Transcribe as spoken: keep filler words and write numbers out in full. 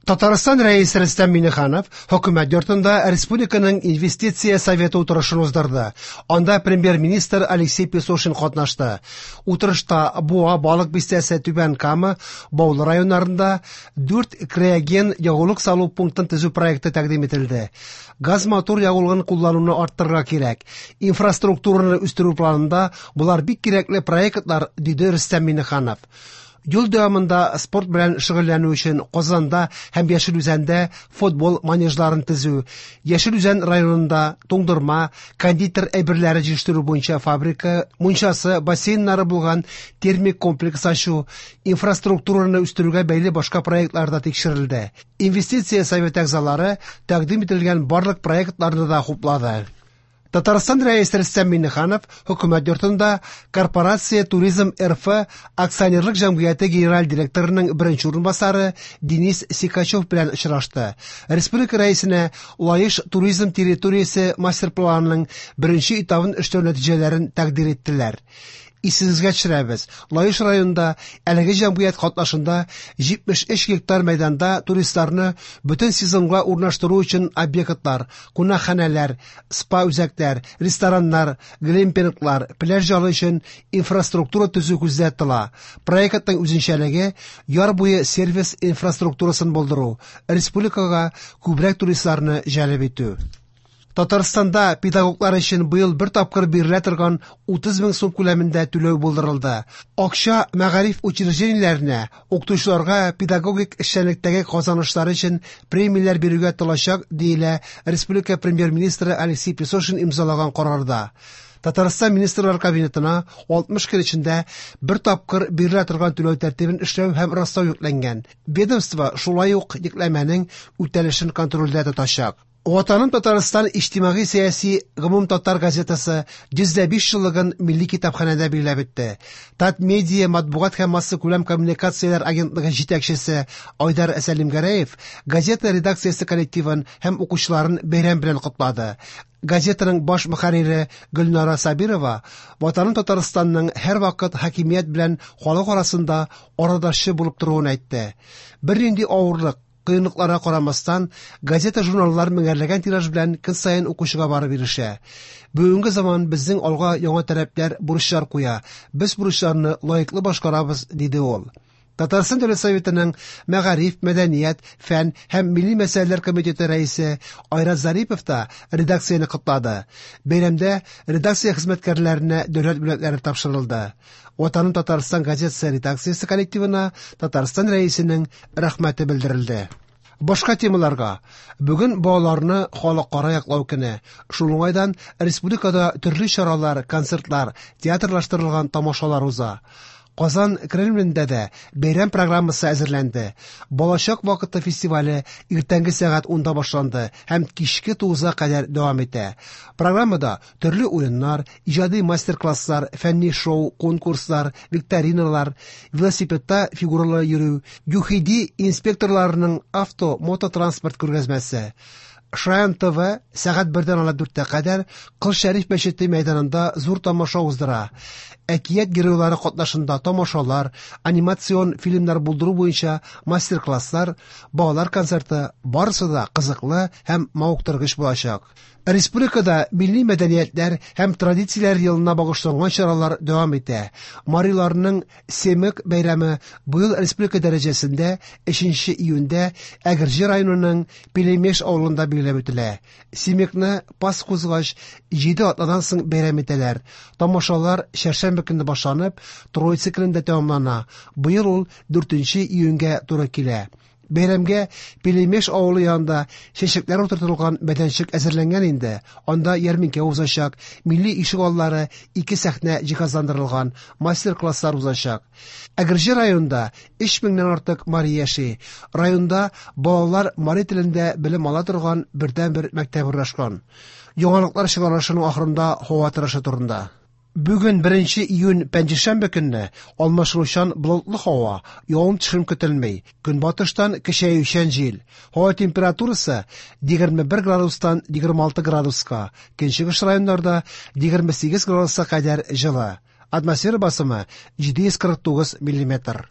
Татарстан Рәисе Рөстәм Миңнеханов Хөкүмәт йортында республиканың инвестиция советы утырышын уздырды. Анда премьер-министр Алексей Песошин катнашты. Утырышта Буа, Балык Бистәсе, Түбән Кама, Баулы районнарында дүрт криоген ягулык салу пунктын төзү проекты тәкъдим ителде. Газ-мотор ягулыгын куллануны арттырырга кирәк. Инфраструктураны үстерү планында болар бик кирәкле проектлар, диде Рөстәм Миңнеханов. Юл дәвамында спорт белән шөгыльләнү өчен Казанда һәм Яшел Үзәндә футбол манежларын төзү, Яшел Үзән районында туңдырма, кондитер әйберләре җитештерү буенча фабрика, мунчасы, бассейннары булган термик комплекс ачу, инфраструктураны үстерүгә бәйле башка проектлар да тикшерелде. Инвестиция советы әгъзалары тәкъдим ителгән барлык проектларны да хуплады. Татарстан Рәисе Рөстәм Миңнеханов Хөкүмәт йортында Корпорация Туризм Р Ф акционерлык җәмгыяте генераль директорының беренче урынбасары Денис Сикачев белән очрашты. Республика Рәисенә Лаеш туризм территориясе мастер-планының беренче этабын эшләү нәтиҗәләрен тәкъдир иттеләр. Исегезгә төшерәбез, Лаеш районында әлеге җәмгыять катнашында җитмеш өч гектар мәйданда туристларны бөтен сезонга урнаштыру өчен объектлар, кунакханәләр, спа-үзәкләр, рестораннар, глэмпинглар, пляж ялы өчен инфраструктура төзү күздә тотыла. Проектның үзенчәлеге яр буе сервис инфраструктурасын булдыру, республикага күбрәк туристларны җәлеп итү. Татарстанда педагоглар өчен быел бер тапкыр бирелә торган утыз мең сум күләмендә түләү булдырылды. Акча мәгариф учреждениеләренә, укытучыларга педагогик эшчәнлектәге казанышлары өчен премияләр бирүгә тотылачак, диелә республика премьер-министры Алексей Песошин имзалаган карарда. Татарстан Министрлар Кабинетына алтмыш көн эчендә бер тапкыр бирелә торган түләү тәртибен эшләү һәм раслау йөкләнгән. Ведомство шулай ук йөкләмәнең үтәлешен контрольдә тотачак. Ватаным Татарстан иҗтимагый сәяси гомумтатар газетасы йөз дә биш еллыгын Милли китапханәдә билгеләп үтте. Татмедиа матбугат һәм массакүләм коммуникацияләр агентлыгы җитәкчесе Айдар Сәлимгәрәев газета редакциясе коллективын һәм укучыларын бәйрәм белән котлады. Газетаның баш мөхәррире Гөлнара Сабирова Ватаным Татарстанның һәрвакыт хакимият белән халык арасында арадашчы булып торуын әйтте. Бернинди авырлык, кыенлыкларга карамастан, газета-журналлар меңәрләгән тираж белән көн саен укучыга барып ирешә. Бүгенге заман безнең алга яңа таләпләр, бурычлар куя. Без бурычларны лаеклы башкарабыз, диде ул. Татарстан Дәүләт Советының Мәгариф, мәдәният, фән һәм милли мәсьәләләр комитеты рәисе Айрат Зарипов та редакцияне котлады. Бәйрәмдә редакция хезмәткәрләренә дәүләт бүләкләре тапшырылды. Ватаным Татарстан газетасы редакциясе коллективына Татарстан Рәисенең рәхмәте белдерелде. Башка темаларга. Бүген балаларны халыкара яклау көне. Шул уңайдан республикада төрле чаралар, концертлар, театрлаштырылган тамашалар уза. Казан Кремлендә дә бәйрәм программасы әзерләнде. Балачак вакыты фестивале иртәнге сәгать унда башланды һәм кичке тугызга кадәр дәвам итә. Программада төрле уеннар, иҗади мастер-класслар, фәнни шоу, конкурслар, викториналар, велосипедта фигуралы йөрү, ЮХИДИ инспекторларының авто, мототранспорт күргәзмәсе. Шаян Т В сәгать бердән алып дүрткә кадәр Кол Шәриф мәчете мәйданында зур тамаша уздыра. Әкият геройлары катнашында тамашалар, анимацион фильмнар булдыру буенча мастер-класслар, балалар концерты барысы да кызыклы һәм мавыктыргыч булачак. Республикада милли мәдәниятләр һәм традицияләр елына багышланган чаралар дәвам итә. Мариларның Семык бәйрәме быел республика дәрәҗәсендә өченче июньдә Әгерҗе районының Пелемеш авылында билгеләп үтелә. Семыкны Пасха узгач җиде атнадан соң бәйрәм итәләр. Тамашалар чәршәмбе көнне башланып, Троица көнендә тәмамлана. Быел ул дүртенче июньгә туры килә. Бәйрәмгә Пелемеш авылы янында чәчәкләр утыртылган мәйданчык әзерләнгән инде. Анда ярминкә узачак, милли ишек аллары, ике сәхнә җиһазландырылган, мастер-класслар узачак. Әгерҗе районында өч меңнән артык мари яши. Районда балалар мари телендә белем ала торган бердәнбер мәктәп урнашкан. Яңалыклар чыгарылышының ахырында һава торышы турында. Бүген беренче июнь пәнҗешәмбе көнне алмашынучан болытлы һава, явым-төшем көтелми. Көнбатыштан көчәючән җил. Һава температурасы егерме бер градустан егерме алты градуска, көнчыгыш районнарда егерме сигез градуска кадәр җылы. Атмосфера басымы җиде йөз кырык тугыз миллиметр.